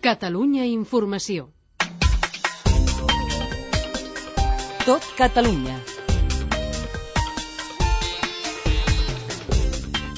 Catalunya Informació. Tot Catalunya.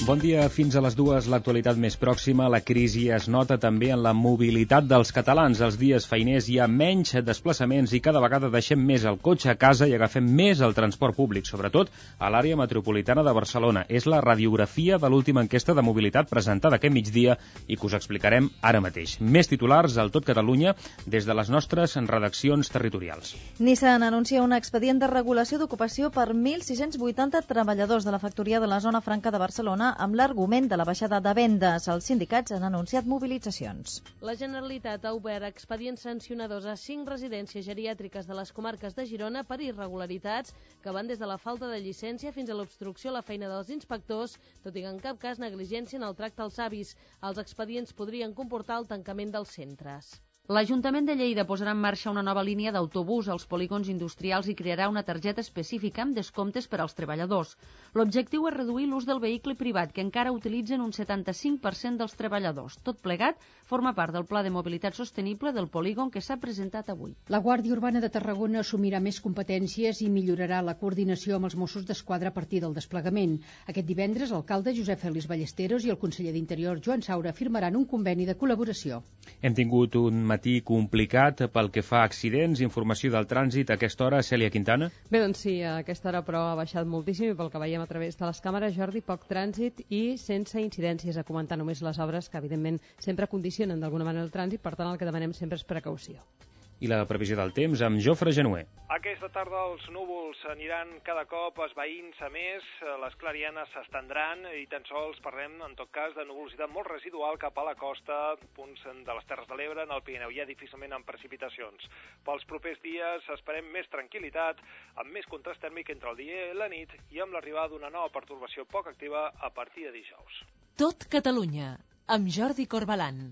Bon dia, fins a les 2, l'actualitat més pròxima. La crisi es nota també en la mobilitat dels catalans. Els dies feiners hi ha menys desplaçaments i cada vegada deixem més el cotxe a casa i agafem més el transport públic, sobretot a l'àrea metropolitana de Barcelona. És la radiografia de l'última enquesta de mobilitat presentada aquest migdia i que us explicarem ara mateix. Més titulars al Tot Catalunya des de les nostres redaccions territorials. Nissan anuncia un expedient de regulació d'ocupació per 1.680 treballadors de la factoria de la Zona Franca de Barcelona amb l'argument de la baixada de vendes. Els sindicats han anunciat mobilitzacions. La Generalitat ha obert expedients sancionadors a 5 residències geriàtriques de les comarques de Girona per irregularitats que van des de la falta de llicència fins a l'obstrucció a la feina dels inspectors, tot i que en cap cas negligència en el tracte als avis. Els expedients podrien comportar el tancament dels centres. L'Ajuntament de Lleida posarà en marxa una nova línia d'autobús als polígons industrials i crearà una targeta específica amb descomptes per als treballadors. L'objectiu és reduir l'ús del vehicle privat, que encara utilitzen un 75% dels treballadors. Tot plegat forma part del Pla de Mobilitat Sostenible del polígon que s'ha presentat avui. La Guàrdia Urbana de Tarragona assumirà més competències i millorarà la coordinació amb els Mossos d'Esquadra a partir del desplegament. Aquest divendres, l'alcalde Josep Félix Ballesteros i el conseller d'Interior Joan Saura firmaran un conveni de col·laboració. Hem tingut un matí complicat pel que fa a accidents. Informació del trànsit a aquesta hora, Cèlia Quintana. Bé, doncs sí, a aquesta hora però ha baixat moltíssim i pel que veiem a través de les càmeres, Jordi, poc trànsit i sense incidències, a comentar només les obres que evidentment sempre condicionen d'alguna manera el trànsit, per tant el que demanem sempre és precaució. I la previsió del temps amb Jofre Genuer. Aquesta tarda els núvols aniran cada cop esvaint-se més, les clarianes s'estendran i tan sols parlem, en tot cas, de nuvolositat molt residual cap a la costa, punts de les Terres de l'Ebre, en el Pirineu, ja difícilment amb precipitacions. Pels propers dies esperem més tranquil·litat, amb més contrast tèrmic entre el dia i la nit i amb l'arribada d'una nova pertorbació poc activa a partir de dijous. Tot Catalunya, amb Jordi Corbalan.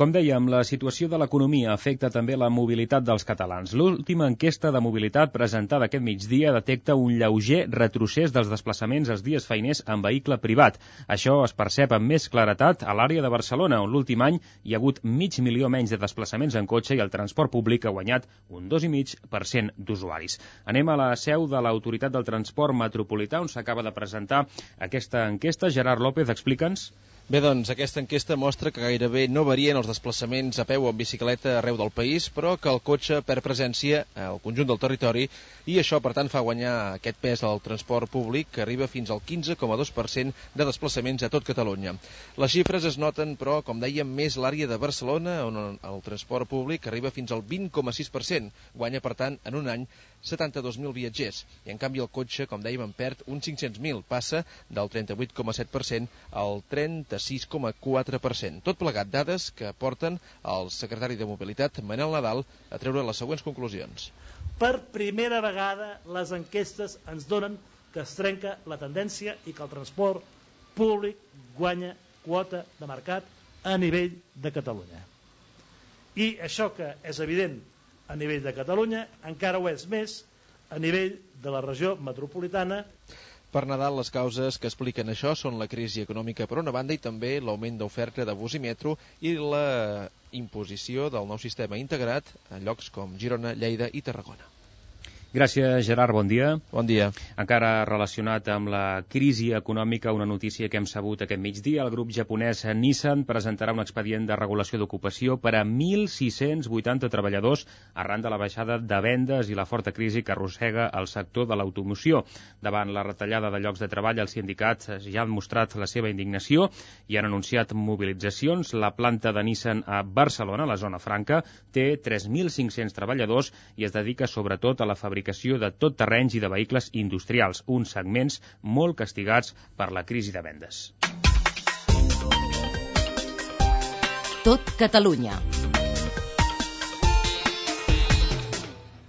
Com dèiem, la situació de l'economia afecta també la mobilitat dels catalans. L'última enquesta de mobilitat presentada aquest migdia detecta un lleuger retrocés dels desplaçaments els dies feiners en vehicle privat. Això es percep amb més claretat a l'àrea de Barcelona, on l'últim any hi ha hagut 500.000 menys de desplaçaments en cotxe i el transport públic ha guanyat un 2,5% d'usuaris. Anem a la seu de l'Autoritat del Transport Metropolità, on s'acaba de presentar aquesta enquesta. Gerard López, explica'ns. Bé, doncs, aquesta enquesta mostra que gairebé no varien els desplaçaments a peu o en bicicleta arreu del país, però que el cotxe perd presència al conjunt del territori i això, per tant, fa guanyar aquest pes al transport públic, que arriba fins al 15,2% de desplaçaments a tot Catalunya. Les xifres es noten, però, com dèiem, més l'àrea de Barcelona, on el transport públic arriba fins al 20,6%. Guanya, per tant, en un any 72.000 viatgers. I, en canvi, el cotxe, com dèiem, en perd uns 500.000. Passa del 38,7% al 36,4%. Tot plegat dades que porten el secretari de Mobilitat, Manel Nadal, a treure les següents conclusions. Per primera vegada les enquestes ens donen que es trenca la tendència i que el transport públic guanya quota de mercat a nivell de Catalunya. I això que és evident a nivell de Catalunya encara ho és més a nivell de la regió metropolitana. Per Nadal, les causes que expliquen això són la crisi econòmica per una banda i també l'augment d'oferta de bus i metro i la imposició del nou sistema integrat a llocs com Girona, Lleida i Tarragona. Gràcies, Gerard. Bon dia. Bon dia. Encara relacionat amb la crisi econòmica, una notícia que hem sabut aquest migdia. El grup japonès Nissan presentarà un expedient de regulació d'ocupació per a 1.680 treballadors arran de la baixada de vendes i la forta crisi que arrossega el sector de l'automoció. Davant la retallada de llocs de treball, els sindicats ja han mostrat la seva indignació i han anunciat mobilitzacions. La planta de Nissan a Barcelona, la zona franca, té 3.500 treballadors i es dedica sobretot a la fabricació de tot terrenys i de vehicles industrials, uns segments molt castigats per la crisi de vendes. Tot Catalunya.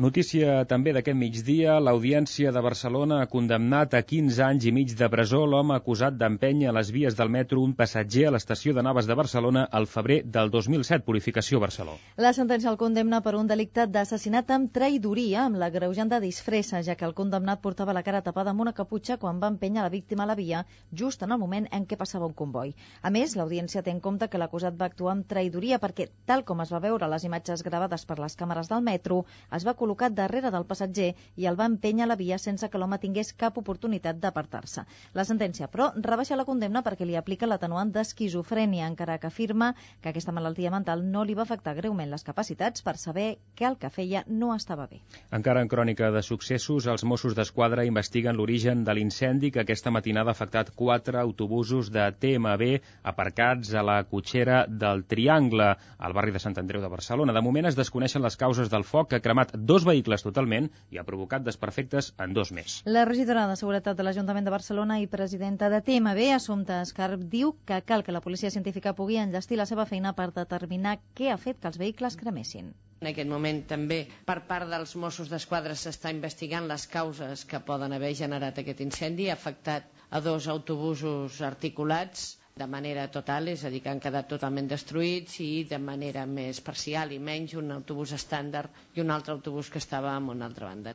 Notícia també d'aquest migdia, l'Audiència de Barcelona ha condemnat a 15 anys i mig de presó l'home acusat d'empènyer a les vies del metro un passatger a l'estació de Navas de Barcelona al febrer del 2007, Purificació Barcelona. La sentència el condemna per un delicte d'assassinat amb traïdoria, amb l'agreujant de disfressa, ja que el condemnat portava la cara tapada amb una caputxa quan va empènyer la víctima a la via, just en el moment en què passava un comboi. A més, l'Audiència té en compte que l'acusat va actuar amb traïdoria perquè, tal com es va veure a les imatges gravades per les càmeres del metro, es va col·locat darrere del passatger i el va empènyer a la via sense que l'home tingués cap oportunitat d'apartar-se. La sentència, però, rebaixa la condemna perquè li aplica l'atenuant d'esquizofrènia, encara que afirma que aquesta malaltia mental no li va afectar greument les capacitats per saber que el que feia no estava bé. Encara en crònica de successos, els Mossos d'Esquadra investiguen l'origen de l'incendi que aquesta matinada ha afectat 4 autobusos de TMB aparcats a la cotxera del Triangle, al barri de Sant Andreu de Barcelona. De moment es desconeixen les causes del foc que ha cremat 2 vehicles totalment i ha provocat desperfectes en 2 més. La regidora de Seguretat de l'Ajuntament de Barcelona i presidenta de TMB, Assumpta Escarp, diu que cal que la policia científica pugui enllestir la seva feina per determinar què ha fet que els vehicles cremessin. En aquest moment també per part dels Mossos d'Esquadra s'està investigant les causes que poden haver generat aquest incendi. Ha afectat a 2 autobusos articulats de manera total, és a dir, que han quedat totalment destruïts, i de manera més parcial i menys un autobús estàndard i un altre autobús que estava en una altra banda.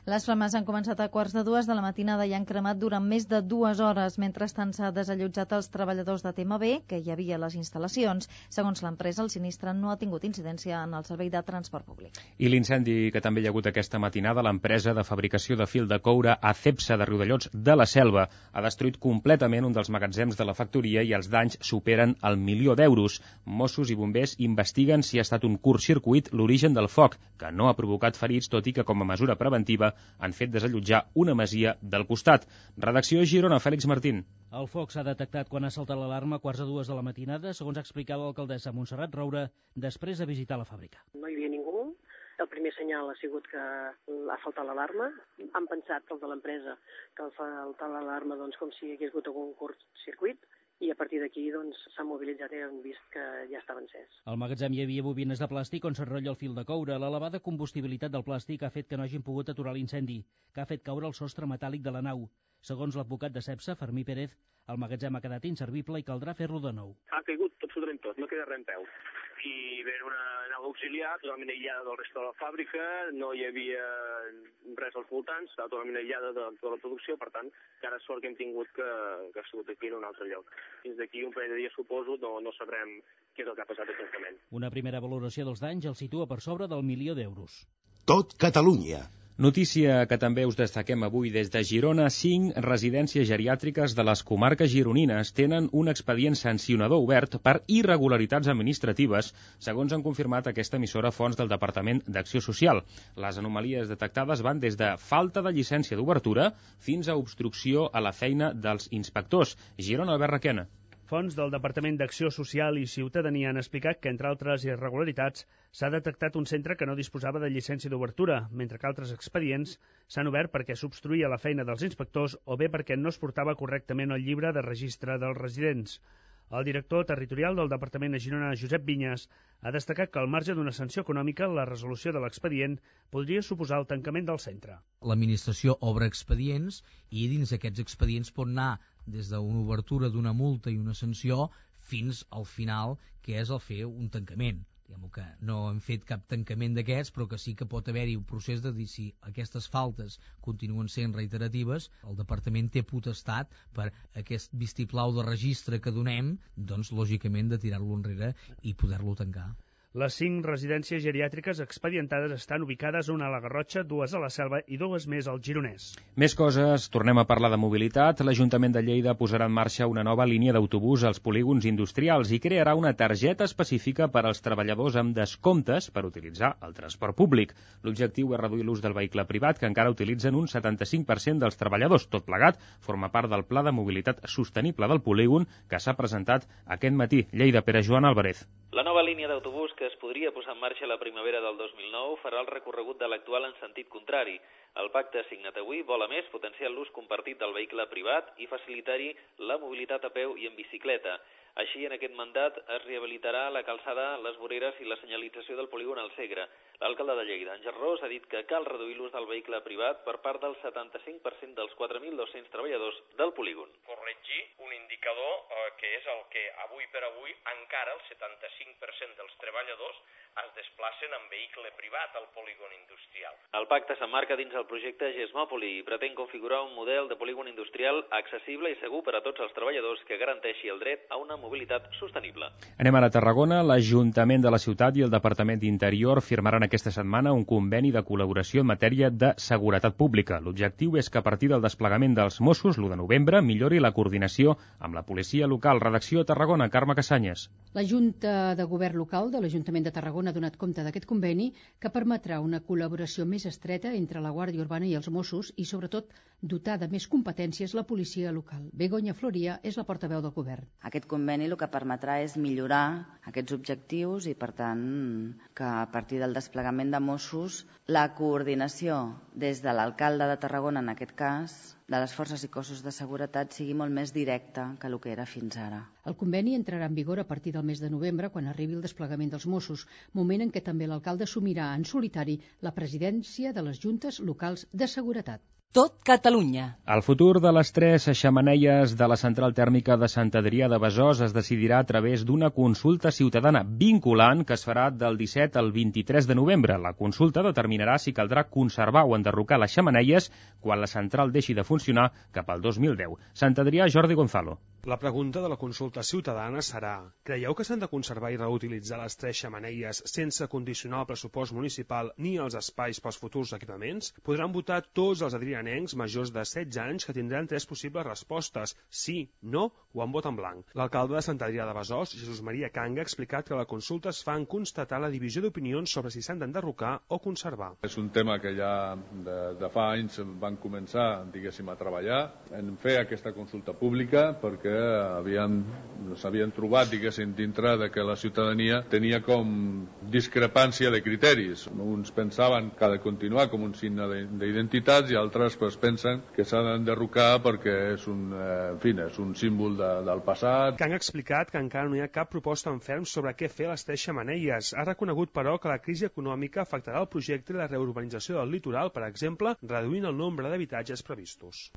Les flames han començat a 2:15 de la matinada i han cremat durant més de 2 hores. Mentrestant s'ha desallotjat els treballadors de TMB que hi havia a les instal·lacions. Segons l'empresa, el sinistre no ha tingut incidència en el servei de transport públic. I l'incendi que també hi ha hagut aquesta matinada, l'empresa de fabricació de fil de coure Acepsa de Riudellots de la Selva ha destruït completament un dels magatzems de la factoria i els danys superen el 1.000.000 d'euros. Mossos i bombers investiguen si ha estat un curtcircuit l'origen del foc, que no ha provocat ferits, tot i que com a mesura preventiva han fet desallotjar una masia del costat. Redacció Girona, Fèlix Martín. El foc s'ha detectat quan ha saltat l'alarma a 2:15 de la matinada, segons explicava l'alcaldessa Montserrat Roure, després de visitar la fàbrica. No hi havia ningú. El primer senyal ha sigut que ha faltat l'alarma. Han pensat, els de l'empresa, que ha faltat l'alarma com si hi hagués hagut algun curtcircuit, i a partir d'aquí s'han mobilitzat i han vist que ja estava encès. Al magatzem hi havia bobines de plàstic on s'enrotlla el fil de coure. L'elevada combustibilitat del plàstic ha fet que no hagin pogut aturar l'incendi, que ha fet caure el sostre metàl·lic de la nau. Segons l'advocat de Cepsa, Fermí Pérez, el magatzem ha quedat inservible i caldrà fer-lo de nou. Ha caigut absolutament tot, no queda res en peu. I ve una nau auxiliar totalment aïllada del resta de la fàbrica, no hi havia res als voltants, estava totalment aïllada de tota la producció, per tant, encara sort que hem tingut que ha sigut aquí en un altre lloc. Fins d'aquí un parell de dies, suposo, no sabrem què és el que ha passat exactament. Una primera valoració dels danys el situa per sobre del 1.000.000 d'euros. Tot Catalunya. Notícia que també us destaquem avui des de Girona. 5 residències geriàtriques de les comarques gironines tenen un expedient sancionador obert per irregularitats administratives, segons han confirmat aquesta emissora fonts del Departament d'Acció Social. Les anomalies detectades van des de falta de llicència d'obertura fins a obstrucció a la feina dels inspectors. Girona, Albert Requena. Fonts del Departament d'Acció Social i Ciutadania han explicat que, entre altres irregularitats, s'ha detectat un centre que no disposava de llicència d'obertura, mentre que altres expedients s'han obert perquè s'obstruïa la feina dels inspectors o bé perquè no es portava correctament el llibre de registre dels residents. El director territorial del Departament de Girona, Josep Vinyes, ha destacat que al marge d'una sanció econòmica, la resolució de l'expedient podria suposar el tancament del centre. L'administració obre expedients i dins d'aquests expedients pot anar des d'una obertura d'una multa i una sanció fins al final, que és el fer un tancament. Diguem que no hem fet cap tancament d'aquests, però que sí que pot haver-hi un procés de dir si aquestes faltes continuen sent reiteratives, el Departament té potestat per aquest vistiplau de registre que donem, doncs lògicament de tirar-lo enrere i poder-lo tancar. Les 5 residències geriàtriques expedientades estan ubicades, una a la Garrotxa, 2 a la Selva i 2 més al Gironès. Més coses, tornem a parlar de mobilitat. L'Ajuntament de Lleida posarà en marxa una nova línia d'autobús als polígons industrials i crearà una targeta específica per als treballadors amb descomptes per utilitzar el transport públic. L'objectiu és reduir l'ús del vehicle privat, que encara utilitzen un 75% dels treballadors. Tot plegat forma part del Pla de Mobilitat Sostenible del polígon que s'ha presentat aquest matí. Lleida, Pere Joan Álvarez. La nova línia d'autobús, que es podria posar en marxa la primavera del 2009, farà el recorregut de l'actual en sentit contrari. El pacte signat avui vol, a més, potenciar l'ús compartit del vehicle privat i facilitar-hi la mobilitat a peu i en bicicleta. Així, en aquest mandat es rehabilitarà la calçada, les voreres i la senyalització del polígon al Segre. L'alcalde de Lleida, Àngel Ros, ha dit que cal reduir l'ús del vehicle privat per part del 75% dels 4.200 treballadors del polígon. Corregir un indicador que és el que avui per avui encara el 75% dels treballadors es desplacen en vehicle privat al polígon industrial. El pacte s'emmarca dins el projecte Gesmòpoli i pretén configurar un model de polígon industrial accessible i segur per a tots els treballadors que garanteixi el dret a una mobilitat sostenible. Anem ara a Tarragona. L'Ajuntament de la ciutat i el Departament d'Interior firmaran aquesta setmana un conveni de col·laboració en matèria de seguretat pública. L'objectiu és que a partir del desplegament dels Mossos, l'1 de novembre, millori la coordinació amb la policia local. Redacció a Tarragona, Carme Cassanyes. La Junta de Govern Local de l'Ajuntament de Tarragona ha donat compte d'aquest conveni que permetrà una col·laboració més estreta entre la Guàrdia Urbana i els Mossos i, sobretot, dotar de més competències la policia local. Begoña Floria és la portaveu del govern. Aquest conveni el que permetrà és millorar aquests objectius i, per tant, que a partir del desplegament de Mossos la coordinació des de l'alcalde de Tarragona, en aquest cas, de les forces i cossos de seguretat sigui molt més directa que el que era fins ara. El conveni entrarà en vigor a partir del mes de novembre, quan arribi el desplegament dels Mossos, moment en què també l'alcalde assumirà en solitari la presidència de les juntes locals de seguretat. Tot Catalunya. El futur de les 3 xemeneies de la central tèrmica de Sant Adrià de Besòs es decidirà a través d'una consulta ciutadana vinculant que es farà del 17 al 23 de novembre. La consulta determinarà si caldrà conservar o enderrocar les xemeneies quan la central deixi de funcionar cap al 2010. Sant Adrià, Jordi Gonzalo. La pregunta de la consulta ciutadana serà: creieu que s'han de conservar i reutilitzar les 3 xemeneies sense condicionar el pressupost municipal ni els espais pels futurs equipaments? Podran votar tots els adrianencs majors de 16 anys que tindran 3 possibles respostes: sí, no o en vot en blanc. L'alcalde de Sant Adrià de Besòs, Jesús Maria Canga, ha explicat que la consulta es fa en constatar la divisió d'opinions sobre si s'han d'enderrocar o conservar. És un tema que ja de fa anys van començar, diguéssim, a treballar en fer aquesta consulta pública perquè s'havien trobat, diguéssim, dintre de que la ciutadania tenia com discrepància de criteris. Uns pensaven que ha de continuar com un signe d'identitat i altres pensen que s'ha d'enderrocar perquè és un símbol del passat. Kang ha explicat que encara no hi ha cap proposta en ferm sobre què fer a les 3 xemeneies. Ha reconegut, però, que la crisi econòmica afectarà el projecte i la reurbanització del litoral, per exemple, reduint el nombre d'habitatges previstos.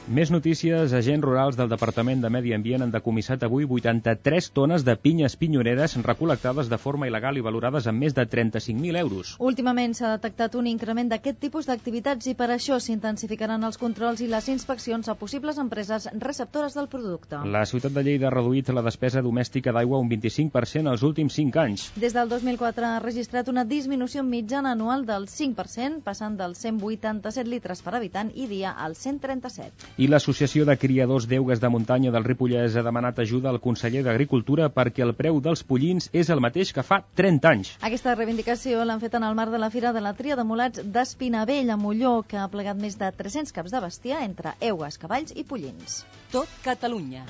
Més notícies. Agents rurals del Departament de Medi Ambient han decomissat avui 83 tones de pinyes pinyoneres recol·lectades de forma il·legal i valorades amb més de 35.000 euros. Últimament s'ha detectat un increment d'aquest tipus d'activitats i per això s'intensificaran els controls i les inspeccions a possibles empreses receptores del producte. La ciutat de Lleida ha reduït la despesa domèstica d'aigua un 25% els últims 5 anys. Des del 2004 ha registrat una disminució mitjana anual del 5%, passant dels 187 litres per habitant i dia als 137. I l'Associació de Criadors d'Eugues de Muntanya del Ripollès ha demanat ajuda al conseller d'Agricultura perquè el preu dels pollins és el mateix que fa 30 anys. Aquesta reivindicació l'han fet en el marc de la Fira de la Tria de Mulats d'Espinavell, a Molló, que ha plegat més de 300 caps de bestiar entre eugues, cavalls i pollins. Tot Catalunya.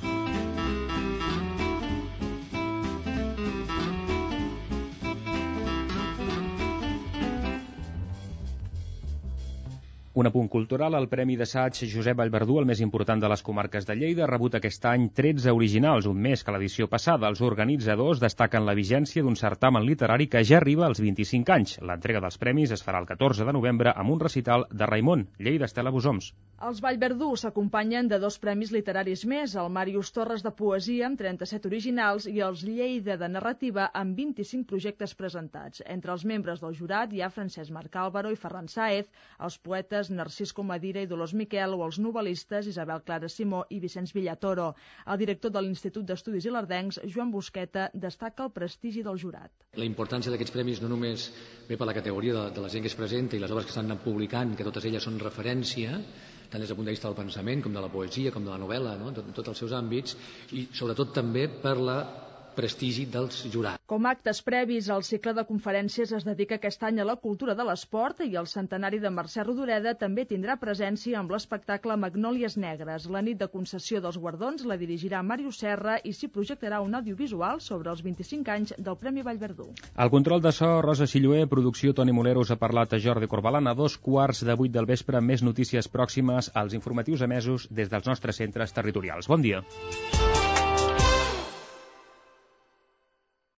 Un apunt cultural, el Premi d'Assaig Josep Vallverdú, el més important de les comarques de Lleida, ha rebut aquest any 13 originals, un més que l'edició passada. Els organitzadors destaquen la vigència d'un certamen literari que ja arriba als 25 anys. L'entrega dels premis es farà el 14 de novembre amb un recital de Raimon, Lleida, Estela Busoms. Els Vallverdú s'acompanyen de 2 premis literaris més, el Màrius Torres de Poesia amb 37 originals i els Lleida de Narrativa amb 25 projectes presentats. Entre els membres del jurat hi ha Francesc Marc Álvaro i Ferran Sáez, els poetes Narcís Comadira i Dolors Miquel o els novel·listes Isabel Clara Simó i Vicenç Villatoro. El director de l'Institut d'Estudis Ilerdencs, Joan Busqueta, destaca el prestigi del jurat. La importància d'aquests premis no només ve per la categoria de la gent que es presenta i les obres que estan publicant, que totes elles són referència, tant des del punt de vista del pensament com de la poesia, com de la novel·la, no? En tots els seus àmbits, i sobretot també per la prestigi dels jurats. Com a actes previs, el cicle de conferències es dedica aquest any a la cultura de l'esport i el centenari de Mercè Rodoreda també tindrà presència amb l'espectacle Magnòlies Negres. La nit de concessió dels guardons la dirigirà Màrius Serra i s'hi projectarà un audiovisual sobre els 25 anys del Premi Vallverdú. El control de so, Rosa Silloé, producció Toni Molero, us ha parlat a Jordi Corbalan a 2:15 del vespre. Més notícies pròximes als informatius emesos des dels nostres centres territorials. Bon dia.